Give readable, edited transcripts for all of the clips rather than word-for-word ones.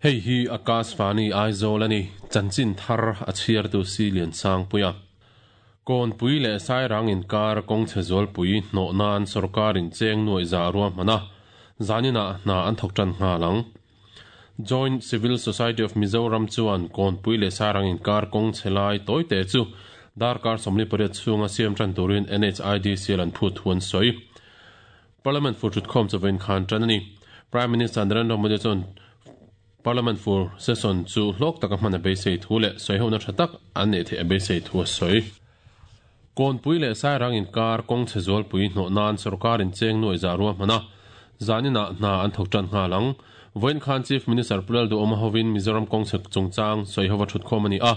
Hei hi Akashvani Aizawl a ni, chanchin thar a chhiartu si Liansangpuia. Kawnpui leh Sairang inkar kawng chhe zualpui hnawh nan sawrkarin cheng nuaih zah ruahman a, zaninah hna an thawk tan nghal ang. Joint Civil Society of Mizoram chuan Kawnpui leh Sairang inkar kawng chhe lai tawite chu darkar 48 chhunga siam tan turin NHIDCL an phut thu an sawi. Parliament fur thutkhawm chu vawiin khan tan a ni. Prime Minister Narendra Modi chuan Parliament fur session chu hlawk taka hman a beisei thu leh sawihona tha tak an neih theih a beisei thu a sawi. Kawnpui leh Sairang inkar kawng chhe zualpui hnawh nan sawrkarin cheng nuaih zah ruahman a, zaninah hna an thawk tan nghal ang. Vawiin khan Chief Minister Pu Lalduhawma hovin Mizoram kawng chhe chungchang sawihova thutkhawm a ni a.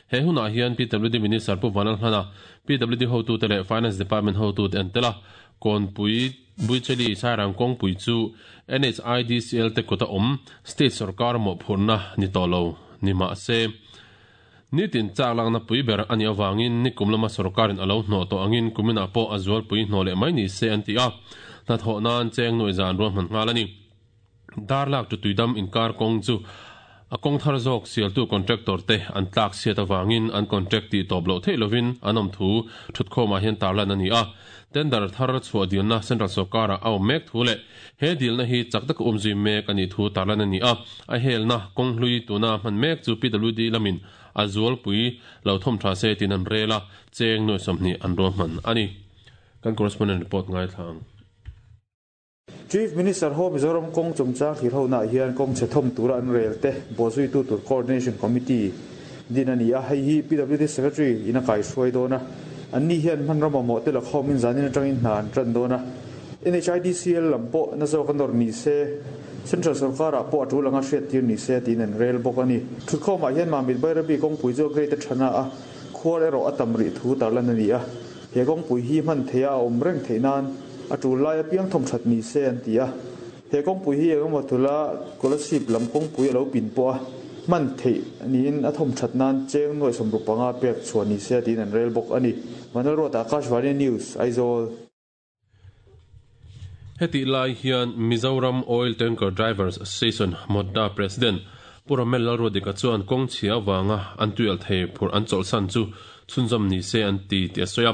He hunah hian PWD Minister Pu Vanlalhlana, PWD hotute leh Finance Department hotute an tel a. Kawnpui Buicheli Sairang kawngpui chu NHIDCL te kut a awm, state sawrkar mawhphurhna ni tawh lo ni mah se, nitin chak lakna pui ber a nih avangin nikum lama sawrkarin a lo hnawh tawh angin kuminah pawh a zualpui hnawh leh mai ni se an ti a, hnathawh nan cheng nuaih zan ruahman nghal a ni. Darlak tu tuidam inkar kawng chu a kawng thar zawk sialtu contractor te an tlak chhiat avangin an contract tih tawp loh theih lovin an awm thu thutkhawmah hian tarlan a ni a. Tender thar chhuah dilna Central sawrkarah a awm mek thu leh he dilna hi chak taka umzui mek a nih thu tarlan a ni a. A helna kawng hlui tuna hman mek chu PWD lamin a zualpui lo thawm tha se tiin an rel a, cheng nuai 20 an ruahman a ni. Kan correspondent report ngaithla ang. Chief Minister ho Mizoram kawng chungchang thlir honaah hian kawng chhe thawm tura an rel te bawhzuitu tur Coordination Committee din a ni a, hei hi PWD Secretary in a kaihruai dawn a, anni hian hmanraw mamawh te la khawmin zanin atangin hna an tan dawn a. NHIDCL lam pawh na zawk a nawr ni se, Central sawrkarah pawh a tul anga hriattir ni se tiin an rel bawk a ni. Thutkhawmah hian Mamit Bairabi kawngpui chu a grade a thana a, khuar erawh a tam rih thu tarlan a ni a. He kawngpui hi hman theia a awm reng theih nan a tul lai apiang thawm that ni se an ti a. He kawngpui hi engemaw tula Kolasib lam kawngpui a lo pin pawh a hman theih niin a thawm that nan cheng nuaih 65 pek chhuah ni se tiin an rel bawk a ni. Vanlalruata, Akashvani News, Aizawl. Hetih lai hian Mizoram Oil Tanker Drivers Association, MOTDA, President Pu Ramel Lalruadika chuan kawng chhia avanga an tuialh thei phurh an chawlhsan chu chhunzawm ni se an ti tih a sawi a.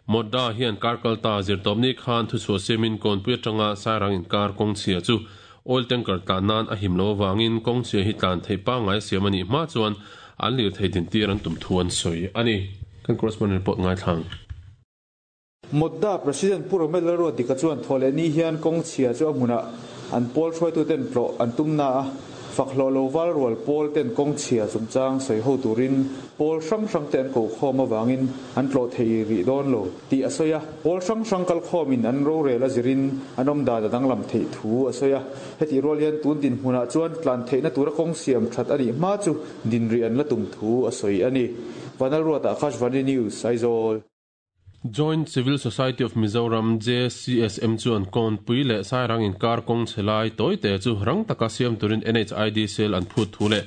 MOTDA hian kar kalta zirtawpni khan thuchhuah siamin Kawnpui atanga Sairang inkar kawng chhia chu oil tanker tlan nan a him lo avangin kawng chhia hi tlan theih pangngai a siam a nih hma chuan an lirthei dintir an tum thu an sawi a ni. Kan correspondent report ngaithlang. Modda President Pu Romel Lalruatdika chuan thawhlehni hian kawng chhia chu a hmunah an pawl hruaituten tlawh an tum na a, fak hlawh lo val rual pawl ten kawng chhia chungchang sawi ho turin pawl hrang hrang te an ko khawm avangin an tlawh thei rih dawn lo tih a sawi a. Pawl hrang hrang kal khawmin an rorel a zirin an awm dan a danglam theih thu a sawi a. Hetih rual hian tun dinhmunah chuan tlan theihna tura kawng siam that a nih hma chu dinrih an la tum thu a sawi a ni. Vanlalruata, Akashvani News, Aizawl. Joint Civil Society of Mizoram, JCSM, chuan Kawnpui leh Sairang inkar kawng chhe lai tawite chu rang taka siam turin NHID cell an phut thu leh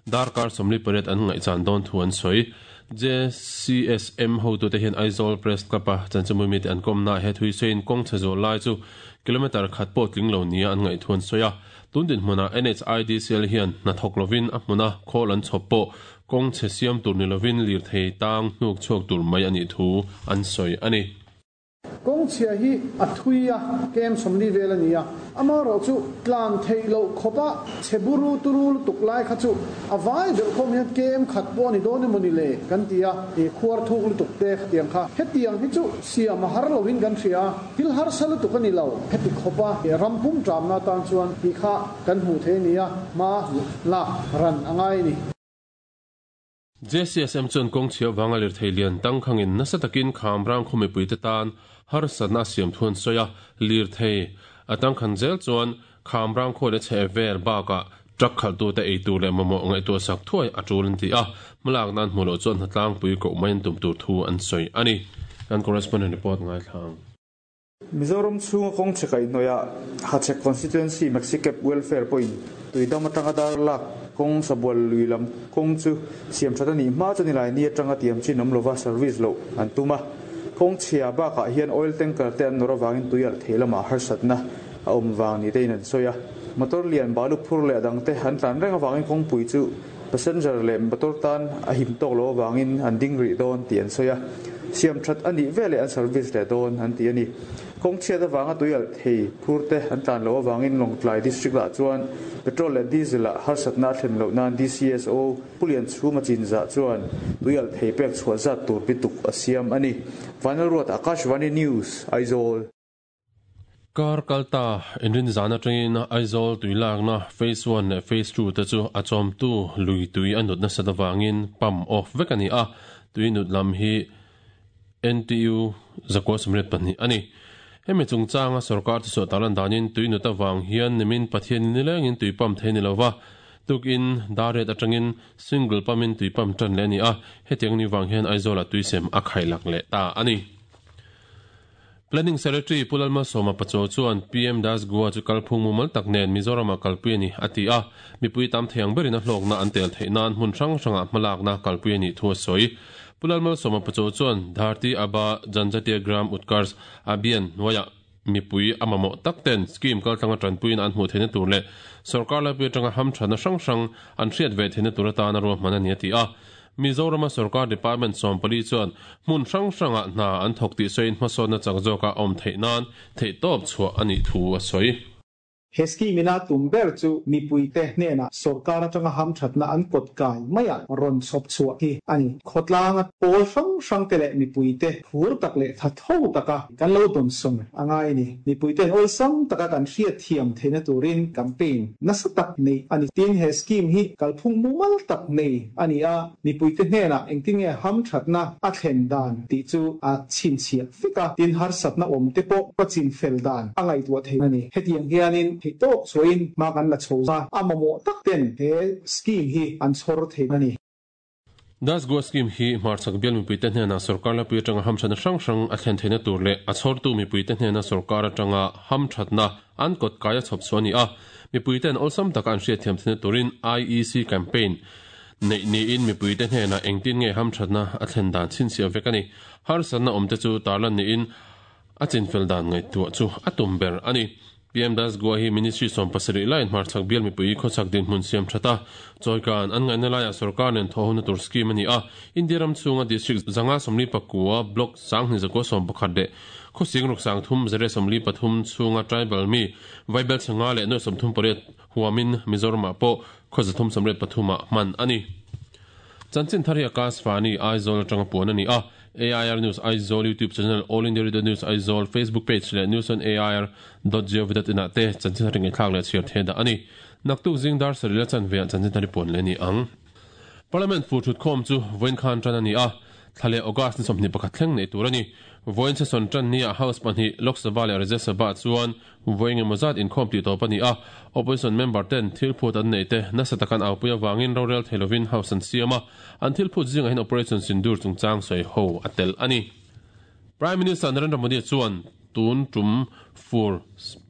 darkar 48 an ngaihchan dawn thu an sawi. JCSM hotute hian Aizawl Press Club-a chanchinmui mite an kawmnaah he thui sawiin kawng chhe zawh lai chu kilometre khat pawh tling lo nia an ngaih thu an sawi a. Tun dinhmunah NHID cell hian hna thawk lovin a hmuna khawl an chhawp pawh Kawng chhe siam tur ni lovin lirthei tang hnuk chhuak tur mai a nih thu an sawi a ni. Kawng chhia hi a thui a, kem 40 vel a ni a, amaherawh chu tlan theih loh khawpa chhe buru turu lutuk lai kha chu a vai belh khawm hian kem khat pawh a ni dawn emaw ni le kan ti a, i khuar thuk lutuk te khatiang kha hetiang hi chu siam a har lovin kan hria a, thil harsa lutuk a ni lo, heti khawpa ram pum ṭamna atan chuan tih kha kan hmuh theih a ni a, hma lak ran a ngai a ni. JCSM chuan kawng chhia vanga lirthei lian tangkhangin nasa takin Khamrang khaw mipuite tan harsatna a siam thu an sawi a, lirthei a tangkhan zel chuan Khamrang khaw leh chheh vel bakah truck khalhtute ei tur leh mamawh ngaihtuah sak thuai a tul an ti a, hmalak nan hmuh loh chuan hnatlangpui koh mai an tum tur thu an sawi a ni. Kan correspondent report ngaithla ang. Mizoram chhunga kawng chhe kaihhnawihah Hachhek Constituency Maxicab Welfare pawhin Tuidam atanga dar lak kawng Sabual lui lam kawng chu siam that a nih hma chu nilai ni atanga tiam chin awm lova service loh an tum a. Kawng chhia bakah hian oil tanker te an nawr avangin tui alh thei lamah harsatna a awm vang ni tein an sawi a. Motor lian balu phur leh dang te an tlan reng avangin kawngpui chu passenger leh motor tan a him tawk loh avangin an ding rih dawn tih an sawi a. Siam that a nih veleh an service leh dawn an ti a ni. Kawng chhiat avanga tui alh thei phur te an tlan loh avangin Lawngtlai District ah chuan petrol leh diesel ah harsatna a thlen loh nan DCSO Pu Lianchhuma Chinzah chuan tui alh thei pek chhuah zat tur bituk a siam a ni. Vanlalruat Akashvani News, Aizawl. Kar kalta inrin zan atangin Aizawl tui lakna Phase One leh Phase Two te chu a chawmtu lui tui a nut nasat avangin pump off vek a ni a, tui nut lam hi NTU 982 a ni. Hemi chungchanga sorkar chu suah tarlan danin tui nut avang hian nimin Pathian nilengin tui pump thei ni lova, tukin Dariat atangin single pump in tui pump tan leh a ni a, hetiang ni vang hian Aizawlah tui sem a khailak leh ta a ni. Planning Secretary Pu Lalmalsawma Pachuau chuan PM Das Goa chu kalphung mumal tak nen Mizoramah kalpui a ni a ti a, mipui tam thei ang berin a hlawkna an tel theih nan hmun hrang hrangah hmalakna kalpui a nih thu a sawi. Pu Lalmalsawma Pachuau chuan Dharti Aba Janjatiya Gram Utkarsh Abhiyan hnuaiah mipui a mamawh tak ten scheme kaltlanga tanpuiin an hmuh theihna tur leh sorkar laipui atanga hamthatna hrang hrang an hriat ve theihna tur atana ruahman a ni a ti a. Mizorama sorkar department 14 chuan hmun hrang hrangah hna an thawk tih sawiin hmasawnna chak zawka awm theih nan theihtawp chhuah a nih thu a sawi. He scheme ina tum ber chu mipuite hnenah sorkar atanga hamthatna an kawt kai maiah rawn chhawp chhuah hi a ni. Khawtlanga pawl hrang hrangte leh mipuite phur tak leh tha tho taka kan lo dawnsawn a ngai a ni. Mipuite'n awlsam taka kan hriatthiam theihna turin campaign nasa tak neih a ni. Tin, he scheme hi kalphung mumal tak nei a ni a, mipuite hnenah engtin nge hamthatna a thlen dan tih chu a chhinchhiah vek a, tin harsatna awm te pawh ka chinfel dan a ngaihtuah theih a ni. Hetiang hianin theihtawp chhuahin hma kan la chho a, a mamawh tak ten he scheme hi an chhawr thei a ni. Das Goa Scheme hi hmarchhak bial mipuite hnenah sorkar lapui atanga hamthatna hrang hrang a thlen theihna tur leh a chhawrtu mipuite hnena sorkar atanga hamthatna an kawt kai a chhawp chhuah a ni a. Mipuite'n awlsam taka an hriatthiam theihna turin IEC campaign neih niin mipuite hnenah engtin nge hamthatna a thlen dan chhinchhiah vek a ni. Harsatna awmte chu tarlan niin a chinfel dan ngaihtuah chu a tum ber a ni. PM Das Goa hi Ministry 17 laiin hmarchhak bial mipui khawchhak dinhmun siam that a, chawikan an ngaihna laiah sorkar nen thawhhona tur scheme a ni a. India ram chhunga district 549 block 2111 leh khawsing ruk 3343 chhunga tribal mi vaibel changa leh nuai 38 huamin Mizoramah pawh khaw 383 ah hman a ni. Chanchin thar hi Akashvani, Aizawl atanga puan a ni a. AIR News Aizawl YouTube channel, All India Radio News Aizawl Facebook page leh News on AIR dot gov dot in ah te chanchin thar ngaihthlak leh chhiar thei dah a ni. Naktuk zing dar sarih la chanve ah chanchin thar i puan leh a ni ang. Parliament fur thutkhawm chu vawiin khan tan a ni a, thla leh August ni 21 thleng neih tur a ni. Vawiin session tan ni ah House pahnih Lok Sabha leh Rajya Sabha ah chuan vawi engemaw zat inkhawm tih tawp a ni a, Opposition member ten thil phut an neih te nasa tak an aupui avangin rorel thei lovin House an siam a, an thil phut zingah hian Operation Sindoor chungchang sawi ho a tel a ni. Prime Minister Narendra Modi chuan tun tum fur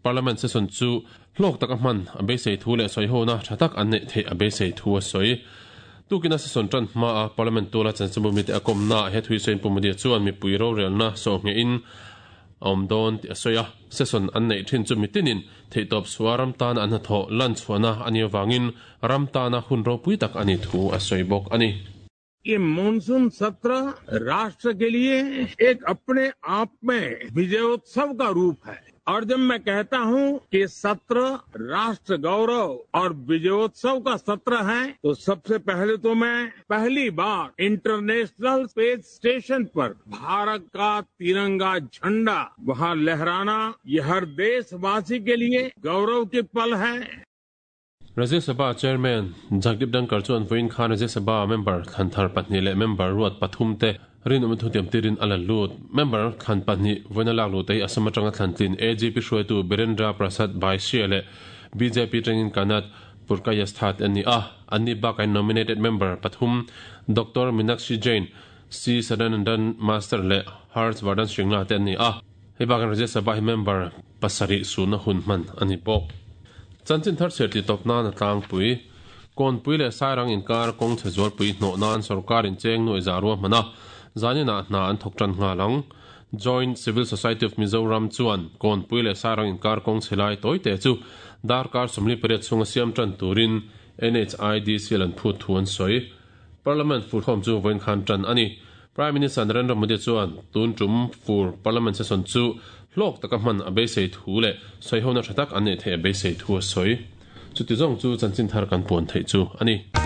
Parliament session chu hlawk taka hman a beisei thu leh sawihona tha tak an neih theih a beisei thu a sawi. Tukina session tan hmaa Parliament tuala chanchinbu mite a kawmna he thui sawiin Pu Modi chuan mipui rorelna sawhngehin a awm dawn tih a sawi a, session an neih thin chu mitinin theihtawp chhuah ram tana an hnathawh lan chhuahna a nih avangin ram tana hun ropui tak a nih thu a sawi bawk a ni. ये मानसून सत्र राष्ट्र के लिए एक अपने आप में विजयोत्सव का रूप है और जब मैं कहता हूं कि सत्र राष्ट्र गौरव और विजयोत्सव का सत्र है तो सबसे पहले तो मैं पहली बार international space station पर भारत का तिरंगा झंडा वहां लहराना ये हर देशवासी के लिए गौरव के पल है। Rajya Sabha Chairman Jagdeep Dhankhar chuan vawiin khan Rajya Sabha member thlan thar pahnih leh member ruat pathum te rinawm thutiam tirin a la lut. Member thlan pahnih vawiin a lak luh te hi Assam atanga thlan tlin AGP hruaitu Birendra Prasad Baishya leh BJP tangin Kanat Purkayastha te an ni a. Anni bakah nominated member pathum Doctor Meenakshi Jain, C Sadanandan Master leh Harsh Vardhan Shringla te an ni a. Hei bakah Rajya Sabha hi member pasarih suhna hun hman a ni bawk. Chanchin thar chhiar tih tawp nan a tlangpui. Kawnpui leh Sairang inkar kawng chhe zualpui hnawh nan sorkar in cheng nuai za ruahman a, zaninah hna an thawk tan nghal ang. Joint Civil Society of Mizoram chuan Kawnpui leh Sairang inkar kawng chhe lai tawite chu darkar 48 chhunga siam tan turin NHIDCL an phut thu an sawi. Parliament furkhawm chu vawiin khan tan a ni. Prime Minister Narendra Modi chuan tun tum fur Parliament session chu hlawk taka hman a beisei thu leh sawihona tha tak an neih theih a beisei thu a sawi. Chuti zawng chu chanchin thar kan puan theih chu a ni.